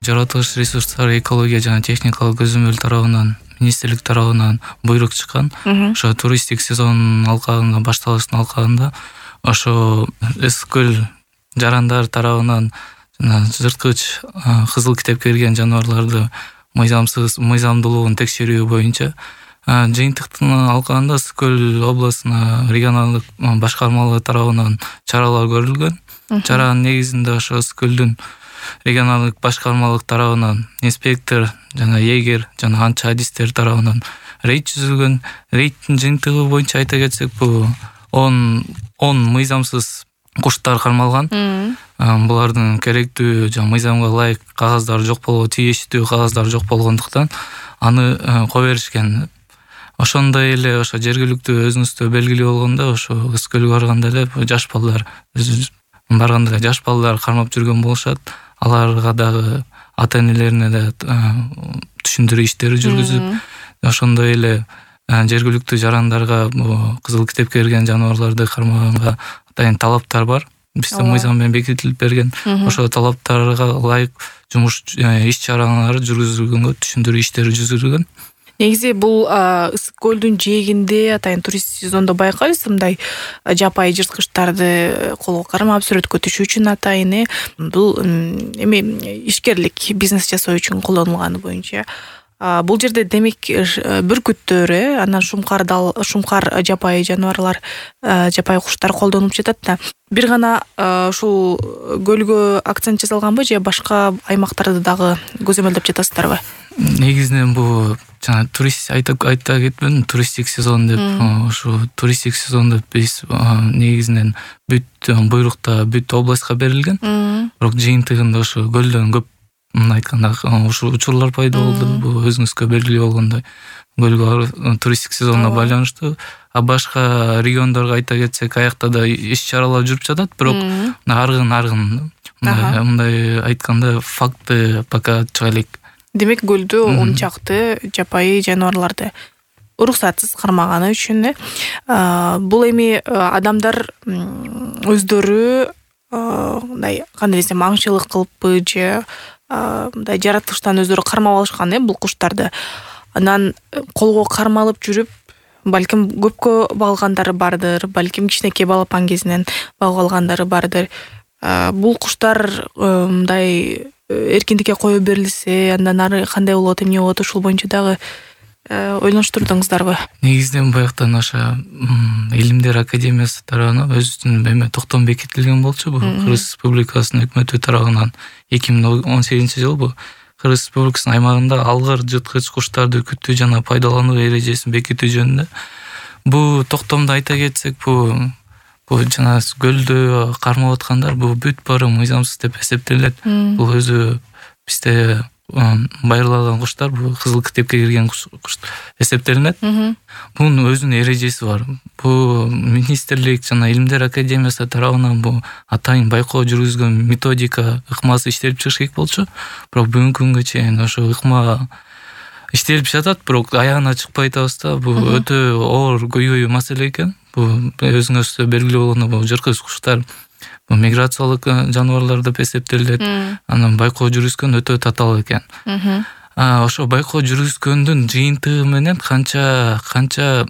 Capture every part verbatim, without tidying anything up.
жаратылыш ресурстары экология жана техникалык көзөмөл тарабынан министрлик тарабынан буйрук чыккан. Ошо туристтик сезон алкагында башталыштын алкагында ошо ысык көл жарандар тарабынан жана жырткыч кызыл китепке кирген жаныбарларды мыйзамсыз мыйзамдуулугун текшерүү боюнча жыйынтыктын алкагында Ысык көл областына регионалдык башкармалыгы тарабынан чаралар көрүлгөн. Чаранын негизинде ошо Ысык көлдүн регионалдык башкармалык тарабынан инспектор жана эгер жана анча адистер тарабынан рейд түзүлгөн. Рейдтин жыйынтыгы боюнча айта кетсек, бул он мыйзамсыз куштар кармалган. Булардын керектүү жана мыйзамга ылайык кагаздары жок болгон, тийиштүү кагаздары жок болгондуктан аны кое беришкен. Ошондой эле ошо жергиликтүү өзүңүздө белгилүү болгондо ошо Ысык көлгө барганда эле жаш балдар барганда жаш балдар кармап жүргөн болушат. Аларга дагы ата-энелерине да түшүндүрүү иштери жүргүзүп, ошондой эле жергиликтүү жарандарга кызыл китепке кирген жаныбарларды кармаганга атайын талаптар бар. Бизде мыйзам менен бекитилип берген. Ошол талаптарга ылайык жумуш иш чаралары жүргүзүлгөнгө, түшүндүрүү иштери жүргүзүлгөн. Негизи бул Ысык көлдүн жээгинде атайын турист сезондо байкайбыз мындай жапайы жырткычтарды колго кармап сүрөткө түшүү үчүн атайын бул эми ишкерлик, бизнес жасоо үчүн колдонулганы боюнча. Бул жерде демек бүркүттөр, анан шумкар шумкар жапайы жаныбарлар, жапайы куштар колдонулуп жатат да. Бир гана ушул көлгө акцент жасалганбы же башка аймактарды дагы көзөмөлдөп жатасыздарбы? Негизинен бул жана турист айта кетпедим, туристтик сезон деп. Ошо туристтик сезондо биз негизинен бүт буйрукта бүт областка берилген. Бирок жыйынтыгында ошо көлдөн көп мына айтканда ушул учурлар пайда болду. Бул өзүңүзгө белгилүү болгондой көлгө туристтик сезонго байланыштуу. А башка региондорго айта кетсек, аякта да иш чаралар жүрүп жатат, бирок аргын аргын мындай айтканда факты пока чыга элек. Демек көлдө он чакты жапайы жаныбарларды уруксатсыз кармаганы үчүн бул эми адамдар өздөрү мындай кандай десем аңчылык кылыппы же мындай жаратылыштан өздөрү кармап алышкан бул куштарды. Анан колго кармалып жүрүп, балким көпкө багылгандары бардыр, балким кичинекей балапан кезинен багып алгандары бардыр. Бул куштар мындай эркиндикке кое берилсе, андан ары кандай болот, эмне болот, ушул боюнча дагы ойлонуштурдуңуздарбы? Негизинен баягытан ошо Илимдер академиясы тарабынан өзүнүн эме токтом бекитилген болчу. Бул Кыргыз Республикасынын өкмөтү тарабынан эки миң он сегизинчи жыл бул Кыргыз Республикасынын аймагында алгыр жырткыч куштарды күтүү жана пайдалануу эрежесин бекитүү жөнүндө. Бул токтомду айта кетсек, бул бул жана көлдө кармап аткандар бул бүт баары мыйзамсыз деп эсептелет. Бул өзү бизде байырлаган куштар, бул кызыл китепке кирген куш эсептелинет. Бунун өзүнүн эрежеси бар. Бул министрлик жана Илимдер академиясы тарабынан бул атайын байкоо жүргүзгөн методика ыкмасы иштелип чыгыш керек болчу. Бирок бүгүнкү күнгө чейин ошо ыкма иштелип жатат, бирок аягына чыкпай атабыз да. Бул өтө оор көйгөй маселе экен. Бул өзүңүзгө белгилүү болгондой бул жырткыч куштар бул миграциялык жаныбарлар деп эсептелет. Анан байкоо жүргүзгөн өтө татаал экен. Ошо байкоо жүргүзгөндүн жыйынтыгы менен канча канча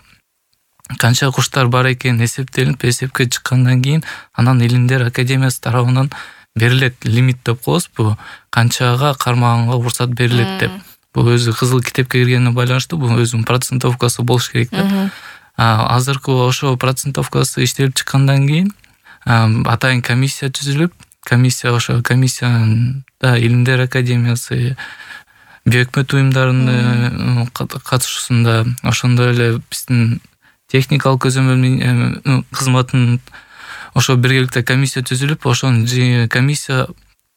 канча куштар бар экени эсептелип, эсепке чыккандан кийин анан Илимдер академиясы тарабынан берилет лимит деп коебуз. Бул канчага кармаганга уруксат берилет деп. Бул өзү кызыл китепке киргенине байланыштуу, бул өзүнүн процентовкасы болуш керек деп. Азыркы ошо процентовкасы иштелип чыккандан кийин атайын комиссия түзүлүп, комиссия ошо комиссияда Илимдер академиясы, бейөкмөт уюмдарынын катышуусунда, ошондой эле биздин техникалык көзөмөл кызматынын ошо биргеликте комиссия түзүлүп, ошонун комиссия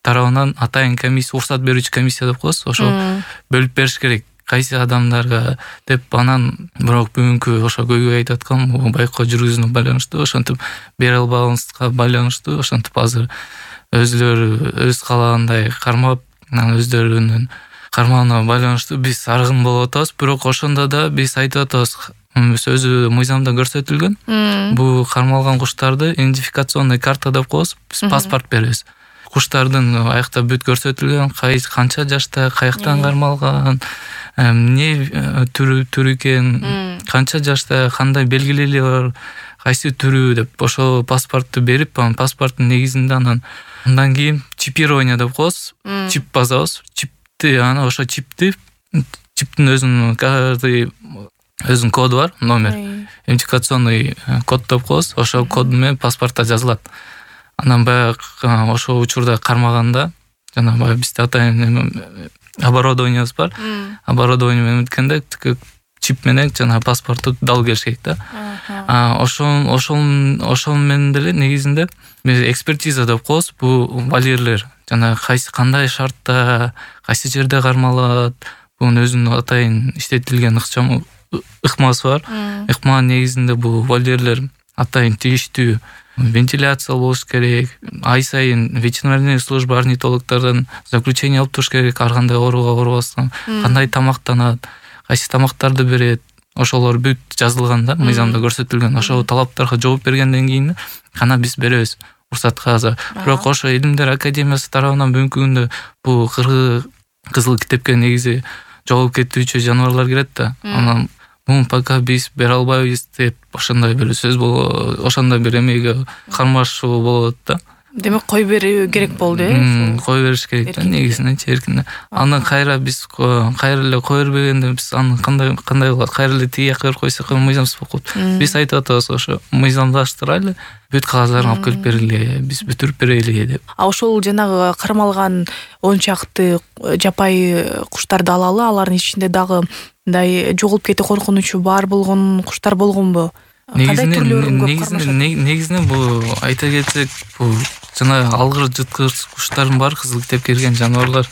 тарабынан атайын комиссия, уруксат берүүчү комиссия деп коебуз, ошо бөлүп бериш керек кайсы адамдарга деп. Анан бирок бүгүнкү ошо көйгөй айтып аткан байкоо жүргүзүүнү байланыштуу, ошентип бере албаганыбызга байланыштуу, ошентип азыр өзлөрү өз каалагандай кармап, анан өздөрүнүн кармауына байланыштуу биз аргын болуп атабыз. Бирок ошондо да биз айтып атабыз, өзү мыйзамда көрсөтүлгөн. Бул кармалган куштарды идентификационный карта деп коебуз, биз паспорт беребиз. куштардын аякта бүт көрсөтүлгөн, канча жашта, каяктан кармалган, эмне түрү түрү экен, канча жашта, кандай белгилери бар, кайсы түрү деп ошол паспортту берип, анан паспорттун негизинде анан андан кийин чипирование деп коебуз, чип басабыз. Чипти анан ошо чипти чиптин өзүнүн каждый өзүнүн коду бар, номер. Идентификационный код деп коебуз. Ошол код менен паспортто жазылат. Анан баягы ошол учурда кармаганда, жана баягы бизде атайын оборудованиебиз бар. Оборудование менен өткөндө чип менен жана паспортту дал келиш керек да. А ошол ошол ошол менен деле негизинде экспертиза деп коебуз. Бул валирлер жана кайсы кандай шартта, кайсы жерде кармалат, бунун өзүнүн атайын иштетилген ыкчам ыкмасы бар. Ыкманын негизинде бул валирлер атайын тийиштүү вентиляция болуш керек. Ай сайын ветеринарный служба орнитологдордон заключение алып туруш керек, ар кандай ооруга оорубастан, кандай тамактанат, кайсы тамактарды берет. Ошолор бүт жазылган да, мыйзамда көрсөтүлгөн. Ошол талаптарга жооп бергенден кийин гана биз беребиз уруксат кагазы. Бирок ошо Илимдер академиясы тарабынан бүгүнкү күндө бул кызыл китепке негизи жоголуп кетүүчү жаныбарлар кирет да. Анан муну пока биз бере албайбыз деп ошондой бир сөз болот, ошондой бир эмеге кармашуу болот да. Демек кой берүү керек болду, э? Кой бериш керек да, негизинен эркинден. Андан кайра биз кайра эле кой бербегенде биз аны кандай кандай кылат? Кайра эле тиги жака койсок мыйзамсыз болуп калат. Биз айтып атабыз, ошо мыйзамдаштырайлы, бүт кагаздарын алып келип берели, биз бүтүрүп берели деп. А ошол жанагы кармалган он чакты жапайы куштарды алалы, алардын ичинде дагы мындай жоголуп кетүү коркунучу бар болгон куштар болгонбу? Негизинен негизинен бул айта кетсек, бул жана алгыр жыткырч куштардын бар кызыл китепке кирген жаныбарлар.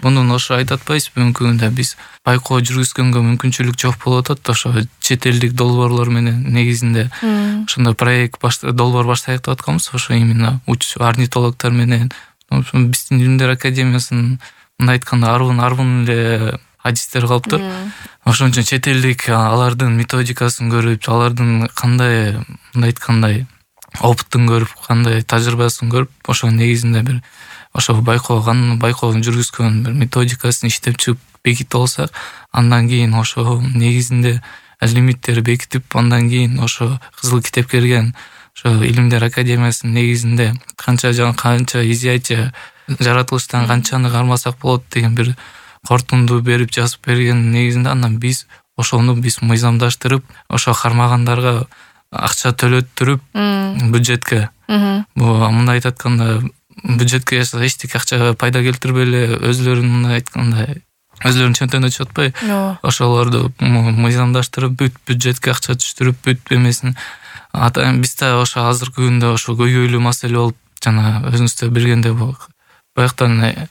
Мунун ошо айтып атпайбыз, бүгүнкү күндө биз байкоо жүргүзгөнгө мүмкүнчүлүк жок болуп атат. Ошо чет элдик долбоорлор менен негизинде ошондой проект долбоор баштайык деп атканбыз. Ошо именно орнитологдор менен биздин Илимдер академиясынын мындай айтканда арбын арбын эле адистер калыптыр. Ошон үчүн чет элдик алардын методикасын көрүп, алардын кандай мындай айткандай опыттын көрүп, кандай тажрыйбасын көрүп, ошо негизинде бир ошо байкооган, байкоонун жүргүзгөн бир методикасын иштеп чыгып бекитип алсак, андан кийин ошо негизинде лимиттери бекитип, андан кийин ошо кызыл китепке кирген ошо Илимдер академиясынын негизинде канча жана канча изяйча жаратылыштан канчаны кармасак болот деген бир кортунду берип жазып берген негизинде, андан биз ошону биз мыйзамдаштырып, ошо кармагандарга акча төлөттүрүп бюджетке. Бул мындай айтканда бюджетке эчтеке акча пайда келтирбей эле өзлөрүн мындай айтканда өзлөрүнүн чөнтөгүнө чыгып атпай, ошолорду мыйзамдаштырып, бүт бюджетке акча түштүрүп, бүт эмесин атайын бизде ошо азыркы күндө ошо көйгөйлүү маселе болуп, жана өзүңүздөр билгендей бияктан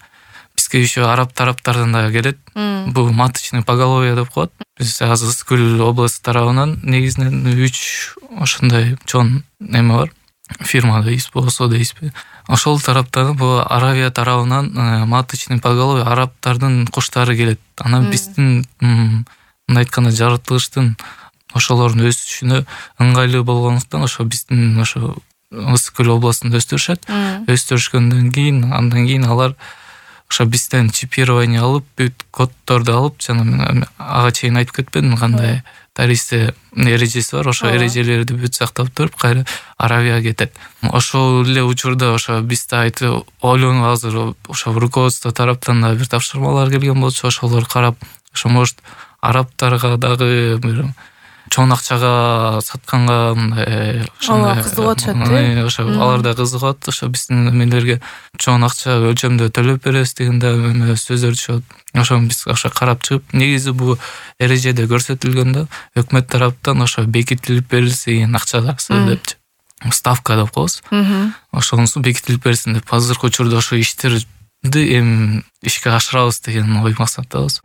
бизге еще араб тараптардан да келет. Бул маточный поголовье деп коет. Биз азыр Ысык-Көл областы тарабынан негизинен үч ошондой чоң эме бар. Фирма дейбиз, болсо дейбизби. Ошол тараптан бул Аравия тарабынан маточный поголовье арабтардын куштары келет. Анан биздин мындай айтканда жаратылыштын ошолордун өсүшүнө ыңгайлуу болгондуктан ошо биздин ошо Ысык-Көл областында өстүрүшөт. Өстүрүшкөндөн кийин андан кийин алар ошо бизден чипирование алып, бүт коддорду алып, жана ага чейин айтып кетпедим кандай тарихте эрежеси бар, ошо эрежелерди бүт сактап туруп, кайра Аравияга кетет. Ошол эле учурда ошо бизде айтып ойлонуп азыр ошо руководство тараптан да бир тапшырмалар келген болчу, ошолор карап, ошо может арабтарга дагы бир чоң акчага сатканга мындай ошондой кызыгып атышат, э? Ошо алар да кызыгат, ошо биздин эмелерге чоң акча өлчөмдө төлөп беребиз дегенде сөздөр түшөт. Ошону биз ошо карап чыгып, негизи бул эрежеде көрсөтүлгөн да, өкмөт тараптан ошо бекитилип берилсе деген акчасы депчи. Ставка деп коебуз. Ошонусу бекитилип берсин деп азыркы учурда ошо иштерди эми ишке ашырабыз деген ой максаттабыз.